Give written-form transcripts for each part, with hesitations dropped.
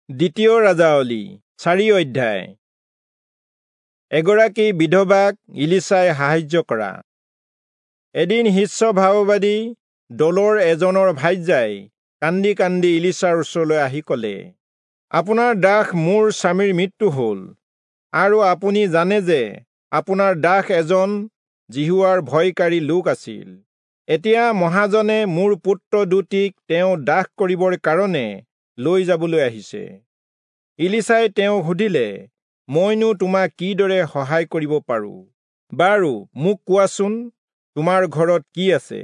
দ্বিতীয় ৰাজাৱলী 4 অধ্যায়। এগৰাকী বিধৱাক ইলিচাই সাহায্য কৰা। এদিন শিষ্য ভাৱবাদী দলৰ এজনৰ ভাৰ্যাই কান্দি কান্দি ইলিচাৰ ওচৰলৈ আহি ক'লে, আপোনাৰ দাস মোৰ স্বামীৰ মৃত্যু হ'ল, আৰু আপুনি জানে যে আপোনাৰ দাস এজন যিহোৱাৰ ভয়কাৰী লোক আছিল। এতিয়া মহাজনে মোৰ পুত্ৰ দুটিক তেওঁ দাস কৰিবৰ কাৰণে লৈ যাবলৈ আহিছে। ইলিচাই তেওঁক সুধিলে, মইনো তোমাক কিদৰে সহায় কৰিব পাৰোঁ? বাৰু মোক কোৱাচোন, তোমাৰ ঘৰত কি আছে?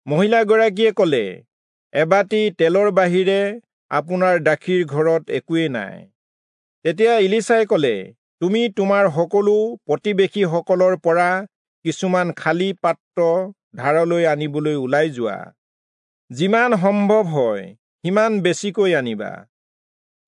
মহিলাগৰাকীয়ে ক'লে, এবাটি তেলৰ বাহিৰে আপোনাৰ দাসীৰ ঘৰত একোৱেই নাই। তেতিয়া ইলিচাই ক'লে, তুমি তোমাৰ সকলো প্ৰতিবেশীসকলৰ পৰা কিছুমান খালী পাত্ৰ ধাৰলৈ আনিবলৈ ওলাই যোৱা। যিমান সম্ভৱ হয় সিমান বেছিকৈ আনিবা।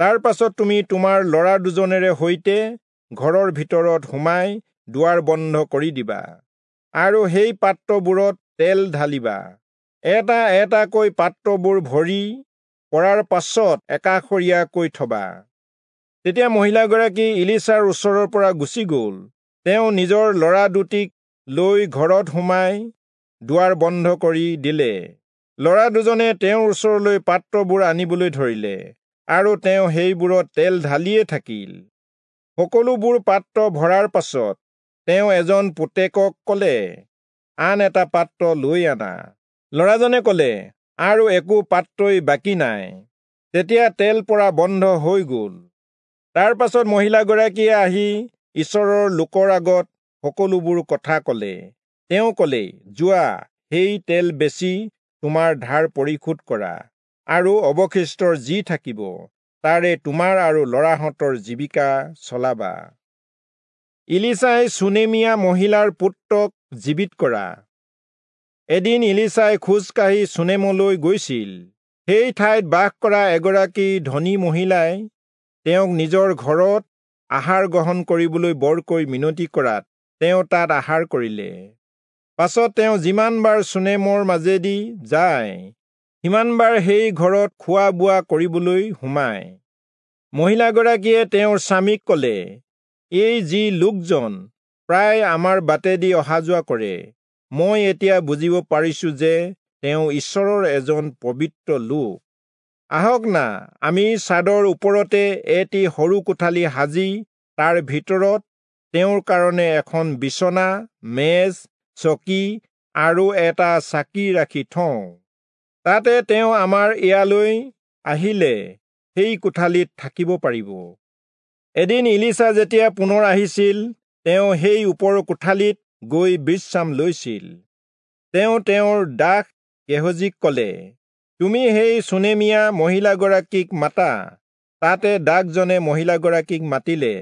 তাৰ পাছত তুমি তোমাৰ ল'ৰা দুজনেৰে সৈতে ঘৰৰ ভিতৰত সোমাই দুৱাৰ বন্ধ কৰি দিবা আৰু সেই পাত্ৰবোৰত তেল ঢালিবা। এটা এটাকৈ পাত্ৰবোৰ ভৰি পৰাৰ পাছত একাষৰীয়াকৈ থবা। তেতিয়া মহিলাগৰাকী ইলিচাৰ ওচৰৰ পৰা গুচি গ'ল। তেওঁ নিজৰ ল'ৰা দুটিক লৈ ঘৰত সোমাই দুৱাৰ বন্ধ কৰি দিলে। ল'ৰা দুজনে তেওঁৰ ওচৰলৈ পাত্ৰবোৰ আনিবলৈ ধৰিলে আৰু তেওঁ সেইবোৰত তেল ঢালিয়ে থাকিল। সকলোবোৰ পাত্ৰ ভৰাৰ পাছত তেওঁ এজন পুতেকক ক'লে, আন এটা পাত্ৰ লৈ আনা। ল'ৰাজনে ক'লে, আৰু একো পাত্ৰই বাকী নাই। তেতিয়া তেল পৰা বন্ধ হৈ গ'ল। তাৰ পাছত মহিলাগৰাকীয়ে আহি ঈশ্বৰৰ লোকৰ আগত সকলোবোৰ কথা ক'লে। তেওঁ ক'লে, যোৱা, সেই তেল বেচি তোমাৰ ধাৰ পৰিশোধ কৰা, আৰু অৱশিষ্টৰ যি থাকিব তাৰে তোমাৰ আৰু ল'ৰাহঁতৰ জীৱিকা চলাবা। ইলিচাই চুনেমীয়া মহিলাৰ পুত্ৰক জীৱিত কৰা। এদিন ইলিচাই খোজকাঢ়ি চুনেমলৈ গৈছিল। সেই ঠাইত বাস কৰা এগৰাকী ধনী মহিলাই তেওঁক নিজৰ ঘৰত আহাৰ গ্ৰহণ কৰিবলৈ বৰকৈ মিনতি কৰাত তেওঁ তাত আহাৰ কৰিলে। পাছত তেওঁ যিমানবাৰ চুনেমৰ মাজেদি যায় সিমানবাৰ সেই ঘৰত খোৱা বোৱা কৰিবলৈ সোমায়। মহিলাগৰাকীয়ে তেওঁৰ স্বামীক ক'লে, এই যি লোকজন প্ৰায় আমাৰ বাটেদি অহা যোৱা কৰে, মই এতিয়া বুজিব পাৰিছো যে তেওঁ ঈশ্বৰৰ এজন পবিত্ৰ লোক। আহক না, আমি চাদৰ ওপৰতে এটি সৰু কোঠালি সাজি তাৰ ভিতৰত তেওঁৰ কাৰণে এখন বিচনা, মেজ, চকী আৰু এটা চাকি ৰাখি থওঁ। তাতে তেওঁ আমাৰ ইয়ালৈ আহিলে সেই কোঠালিত থাকিব পাৰিব। এদিন ইলিচা যেতিয়া পুনৰ আহিছিল, তেওঁ সেই ওপৰৰ কোঠালিত গৈ বিশ্ৰাম লৈছিল। তেওঁ তেওঁৰ দাস গেহজীক ক'লে, তুমি সেই চুনেমীয়া মহিলাগৰাকীক মাতা। তাতে দাসজনে মহিলাগৰাকীক মাতিলে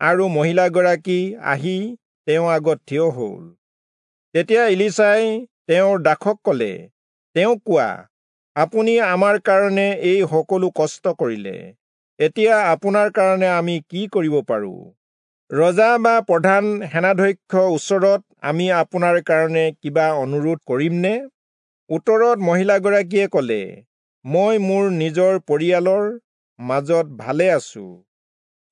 আৰু মহিলাগৰাকী আহি তেওঁৰ আগত থিয় হ'ল। তেতিয়া ইলিচাই তেওঁৰ দাসক ক'লে, তেওঁক কোৱা, আপুনি আমাৰ কাৰণে এই সকলো কষ্ট কৰিলে, এতিয়া আপোনাৰ কাৰণে আমি কি কৰিব পাৰোঁ? ৰজা বা প্ৰধান সেনাধ্যক্ষ ওচৰত আমি আপোনাৰ কাৰণে কিবা অনুৰোধ কৰিমনে? উত্তৰত মহিলাগৰাকীয়ে ক'লে, মই মোৰ নিজৰ পৰিয়ালৰ মাজত ভালে আছো।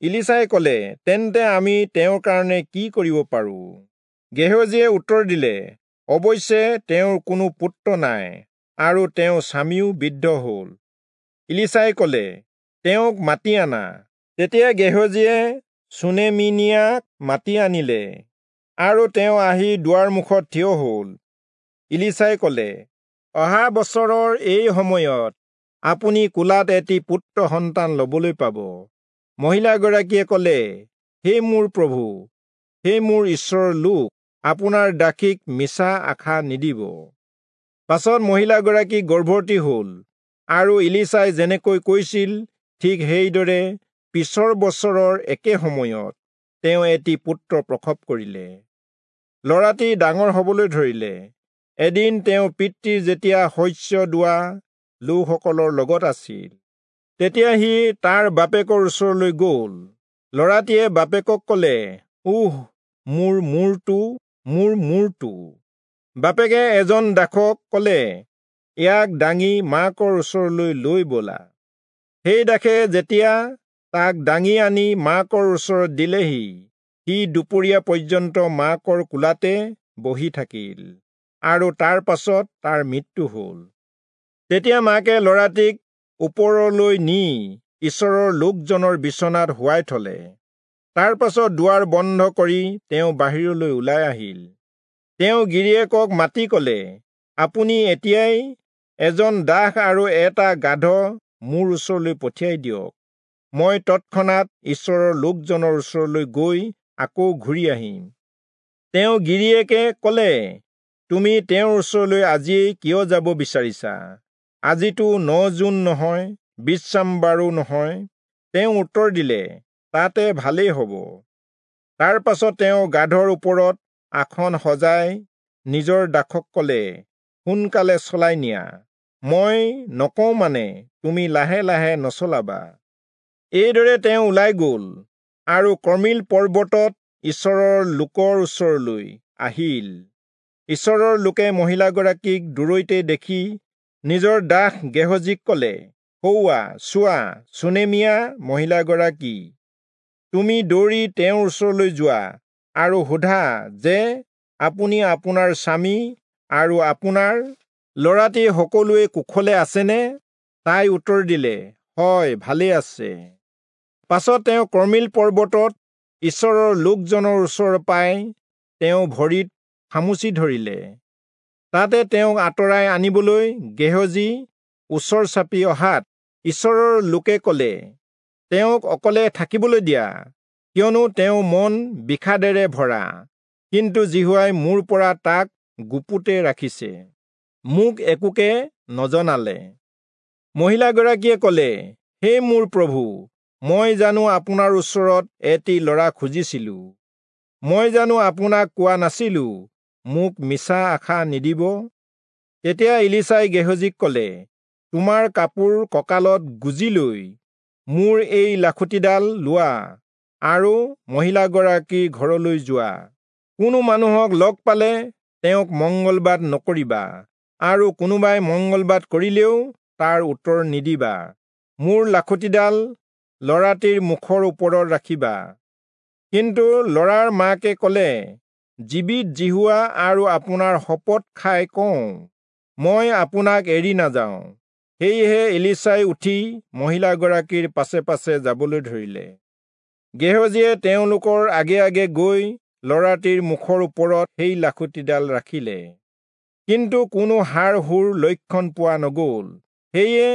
ইলিচাই ক'লে, তেন্তে আমি তেওঁৰ কাৰণে কি কৰিব পাৰোঁ? গেহজীয়ে উত্তৰ দিলে, অৱশ্যে তেওঁৰ কোনো পুত্ৰ নাই আৰু তেওঁৰ স্বামীও বৃদ্ধ হ'ল। ইলিচাই ক'লে, তেওঁক মাতি আনা। তেতিয়া গেহজীয়ে চুনেমীনিয়াক মাতি আনিলে আৰু তেওঁ আহি দুৱাৰ মুখত থিয় হ'ল। ইলিচাই ক'লে, অহা বছৰৰ এই সময়ত আপুনি কোলাত এটি পুত্ৰ সন্তান ল'বলৈ পাব। মহিলাগৰাকীয়ে ক'লে, হে মোৰ প্ৰভু, হে মোৰ ঈশ্বৰৰ লোক, আপোনাৰ দাসীক মিছা আশা নিদিব। পাছত মহিলাগৰাকী গৰ্ভৱতী হ'ল আৰু ইলিচাই যেনেকৈ কৈছিল ঠিক সেইদৰে পিছৰ বছৰৰ একে সময়ত তেওঁ এটি পুত্ৰ প্ৰসৱ কৰিলে। ল'ৰাটি ডাঙৰ হ'বলৈ ধৰিলে। এদিন তেওঁ পিতৃ যেতিয়া শস্য দোৱা লোকসকলৰ লগত আছিল, তেতিয়া সি তাৰ বাপেকৰ ওচৰলৈ গ'ল। ল'ৰাটিয়ে বাপেকক ক'লে, উহ, মোৰ মূৰটো, মোৰ মূৰটো। বাপেকে এজন দাসক ক'লে, ইয়াক দাঙি মাকৰ ওচৰলৈ লৈ ব'লা। সেই দাসে যেতিয়া তাক দাঙি আনি মাকৰ ওচৰত দিলেহি, সি দুপৰীয়া পৰ্যন্ত মাকৰ কোলাতে বহি থাকিল আৰু তাৰ পাছত তাৰ মৃত্যু হ'ল। তেতিয়া মাকে ল'ৰাটিক ওপৰলৈ নি ঈশ্বৰৰ লোকজনৰ বিচনাত শুৱাই থলে। তাৰ পাছত দুৱাৰ বন্ধ কৰি তেওঁ বাহিৰলৈ ওলাই আহিল। তেওঁ গিৰিয়েকক মাতি ক'লে, আপুনি এতিয়াই এজন দাস আৰু এটা গাধ মোৰ ওচৰলৈ পঠিয়াই দিয়ক। মই তৎক্ষণাত ঈশ্বৰৰ লোকজনৰ ওচৰলৈ গৈ আকৌ ঘূৰি আহিম। তেওঁ গিৰিয়েকে ক'লে, তুমি তেওঁৰ ওচৰলৈ আজিয়েই কিয় যাব বিচাৰিছা? আজিতো 9 জুন নহয়, বিশ্ৰামবাৰো নহয়। তেওঁ উত্তৰ দিলে, তাতে ভালেই হ'ব। তাৰ পাছত তেওঁ গাধৰ ওপৰত আসন সজাই নিজৰ দাসক ক'লে, সোনকালে চলাই নিয়া, মই নকওঁ মানে তুমি লাহে লাহে নচলাবা। এইদৰে তেওঁ ওলাই গ'ল আৰু কৰ্মিল পৰ্বতত ঈশ্বৰৰ লোকৰ ওচৰলৈ আহিল। ঈশ্বৰৰ লোকে মহিলাগৰাকীক দূৰৈতে দেখি নিজৰ দাস গেহজীক ক'লে, সৌৱা চোৱা, চুনেমীয়া মহিলাগৰাকী, তুমি দৌৰি তেওঁৰ ওচৰলৈ যোৱা আৰু সোধা যে আপুনি আপোনাৰ স্বামী আৰু আপোনাৰ ল'ৰাটি সকলোৱে কুশলে আছেনে? তাই উত্তৰ দিলে, হয়, ভালেই আছে। পাছত তেওঁ কৰ্মিল পৰ্বতত ঈশ্বৰৰ লোকজনৰ ওচৰ পাই তেওঁ ভৰিত খামুচি ধৰিলে। তাতে তেওঁক আঁতৰাই আনিবলৈ গেহজী ওচৰ চাপি অহাত ঈশ্বৰৰ লোকে ক'লে, তেওঁক অকলে থাকিবলৈ দিয়া, কিয়নো তেওঁ মন বিষাদেৰে ভৰা, কিন্তু যিহোৱাই মোৰ পৰা তাক গুপুতে ৰাখিছে, মোক একোকে নজনালে। মহিলাগৰাকীয়ে ক'লে, হে মোৰ প্ৰভু, মই জানো আপোনাৰ ওচৰত এটি ল'ৰা খুজিছিলো? মই জানো আপোনাক কোৱা নাছিলো, মোক মিছা আশা নিদিব? তেতিয়া ইলিচাই গেহজীক ক'লে, তোমাৰ কাপোৰ কঁকালত গুজি লৈ মোৰ এই লাখুটিডাল লোৱা আৰু মহিলাগৰাকীৰ ঘৰলৈ যোৱা। কোনো মানুহক লগ পালে তেওঁক মংগলবাদ নকৰিবা, আৰু কোনোবাই মংগলবাদ কৰিলেও তাৰ উত্তৰ নিদিবা। মোৰ লাখুটিডাল ল'ৰাটিৰ মুখৰ ওপৰত ৰাখিবা। কিন্তু ল'ৰাৰ মাকে ক'লে, জীৱিত যিহোৱা আৰু আপোনাৰ শপত খাই কওঁ, মই আপোনাক এৰি নাযাওঁ। সেয়েহে এলিচাই উঠি মহিলাগৰাকীৰ পাছে পাছে যাবলৈ ধৰিলে। গেহজীয়ে তেওঁলোকৰ আগে আগে গৈ ল'ৰাটিৰ মুখৰ ওপৰত সেই লাখুটিডাল ৰাখিলে, কিন্তু কোনো হাড় হুৰ লক্ষণ পোৱা নগ'ল। সেয়ে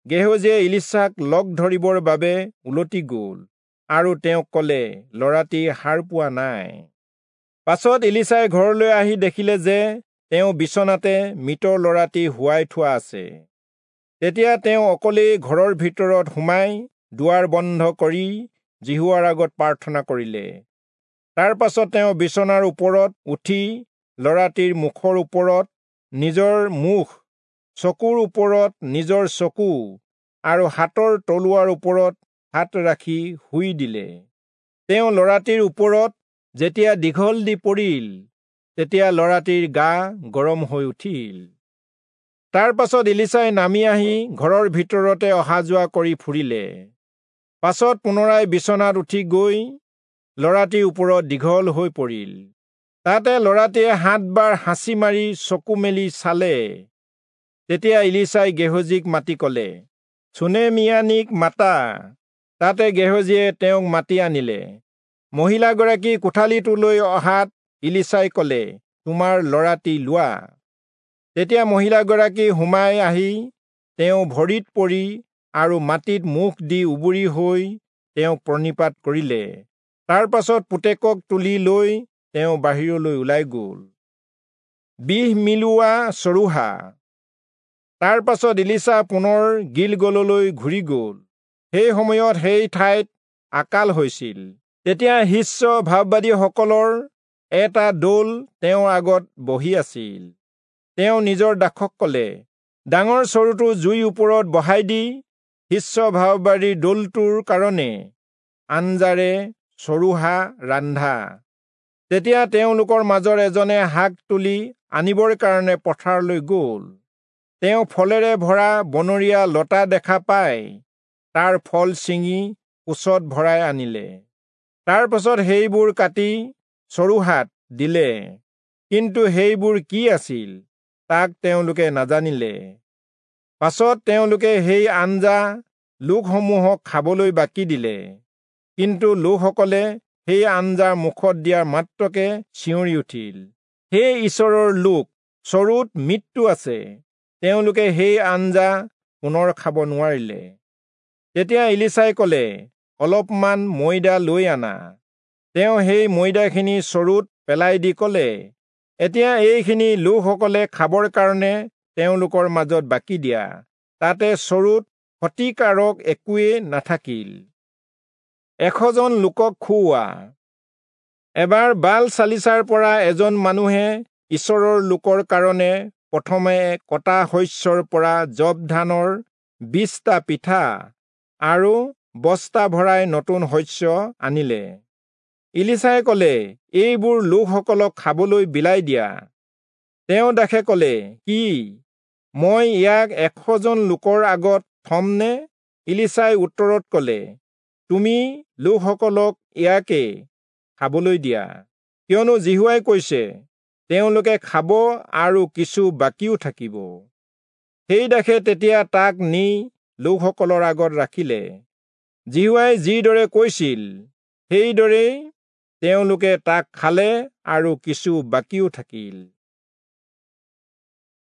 গেহজীয়ে ইলিচাক লগ ধৰিবৰ বাবে উলটি গ'ল আৰু তেওঁক ক'লে, ল'ৰাটি সাৰ পোৱা নাই। পাছত ইলিচাই ঘৰলৈ আহি দেখিলে যে তেওঁ বিচনাতে মৃত ল'ৰাটি শুৱাই থোৱা আছে। তেতিয়া তেওঁ অকলেই ঘৰৰ ভিতৰত সোমাই দুৱাৰ বন্ধ কৰি যিহোৱাৰ আগত প্ৰাৰ্থনা কৰিলে। তাৰ পাছত তেওঁ বিচনাৰ ওপৰত উঠি ল'ৰাটিৰ মুখৰ ওপৰত নিজৰ মুখ, চকুৰ ওপৰত নিজৰ চকু আৰু হাতৰ তলুৱাৰ ওপৰত হাত ৰাখি শুই দিলে। তেওঁ ল'ৰাটিৰ ওপৰত যেতিয়া দীঘল দি পৰিল, তেতিয়া ল'ৰাটিৰ গা গৰম হৈ উঠিল। তাৰ পাছত ইলিচাই নামি আহি ঘৰৰ ভিতৰতে অহা যোৱা কৰি ফুৰিলে। পাছত পুনৰাই বিচনাত উঠি গৈ ল'ৰাটিৰ ওপৰত দীঘল হৈ পৰিল। তাতে ল'ৰাটিয়ে 7 বাৰ হাঁচি মাৰি চকু মেলি চালে। তেতিয়া ইলিচাই গেহজীক মাতি ক'লে, চুনেমীয়ানীক মাতা। তাতে গেহজীয়ে তেওঁক মাতি আনিলে। মহিলাগৰাকী কোঠালিটোলৈ অহাত ইলিচাই ক'লে, তোমাৰ ল'ৰাটি লোৱা। তেতিয়া মহিলাগৰাকী সোমাই আহি তেওঁ ভৰিত পৰি আৰু মাটিত মুখ দি উবুৰি হৈ তেওঁক প্ৰণিপাত কৰিলে। তাৰ পাছত পুতেকক তুলি লৈ তেওঁ বাহিৰলৈ ওলাই গ'ল। বিহ মিলোৱা চৰুহা। তাৰ পাছত ইলিচা পুনৰ গিলগললৈ ঘূৰি গ'ল। সেই সময়ত সেই ঠাইত আকাল হৈছিল। তেতিয়া শিষ্য ভাৱবাদীসকলৰ এটা দল তেওঁৰ আগত বহি আছিল। তেওঁ নিজৰ দাসক ক'লে, ডাঙৰ চৰুটো জুইৰ ওপৰত বহাই দি শিষ্য ভাৱবাদীৰ দলটোৰ কাৰণে আঞ্জাৰে চৰুহা ৰান্ধা। তেতিয়া তেওঁলোকৰ মাজৰ এজনে শাক তুলি আনিবৰ কাৰণে পথাৰলৈ গ'ল। তেওঁ ফলেৰে ভৰা বনৰীয়া লতা দেখা পাই তাৰ ফল ছিঙি কোঁচত ভৰাই আনিলে। তাৰ পাছত সেইবোৰ কাটি চৰুহাত দিলে, কিন্তু সেইবোৰ কি আছিল তাক তেওঁলোকে নাজানিলে। পাছত তেওঁলোকে সেই আঞ্জা লোকসমূহক খাবলৈ বাকি দিলে, কিন্তু লোকসকলে সেই আঞ্জা মুখত দিয়াৰ মাত্ৰকে চিঞৰি উঠিল, হে ঈশ্বৰৰ লোক, চৰুত মৃত্যু আছে। তেওঁলোকে সেই আঞ্জা পুনৰ খাব নোৱাৰিলে। তেতিয়া ইলিচাই কলে, অলপমান ময়দা লৈ আনা। তেওঁ সেই ময়দাখিনি চৰুত পেলাই দি কলে, এতিয়া এইখিনি লোকসকলে খাবৰ কাৰণে তেওঁলোকৰ মাজত বাকি দিয়া। তাতে চৰুত ক্ষতিকাৰক একোৱেই নাথাকিল। 100জন লোকক খুওৱা। এবাৰ বাল চালিচাৰ পৰা এজন মানুহে ঈশ্বৰৰ লোকৰ কাৰণে প্ৰথমে কটা শস্যৰ পৰা যৱ ধানৰ 20টা পিঠা আৰু বস্তা ভৰাই নতুন শস্য আনিলে। ইলিচাই কলে, এইবোৰ লোকসকলক খাবলৈ বিলাই দিয়া। তেওঁ দাসে কলে, কি, মই ইয়াক 100জন লোকৰ আগত থমনে? ইলিচাই উত্তৰত কলে, তুমি লোকসকলক ইয়াকে খাবলৈ দিয়া, কিয়নো যিহোৱাই কৈছে, তেওঁলোকে খাব আৰু কিছু বাকীও থাকিব। সেই দাসে তেতিয়া তাক নি লোকসকলৰ আগত ৰাখিলে। যিহোৱাই যিদৰে কৈছিল সেইদৰেই তেওঁলোকে তাক খালে আৰু কিছু বাকীও থাকিল।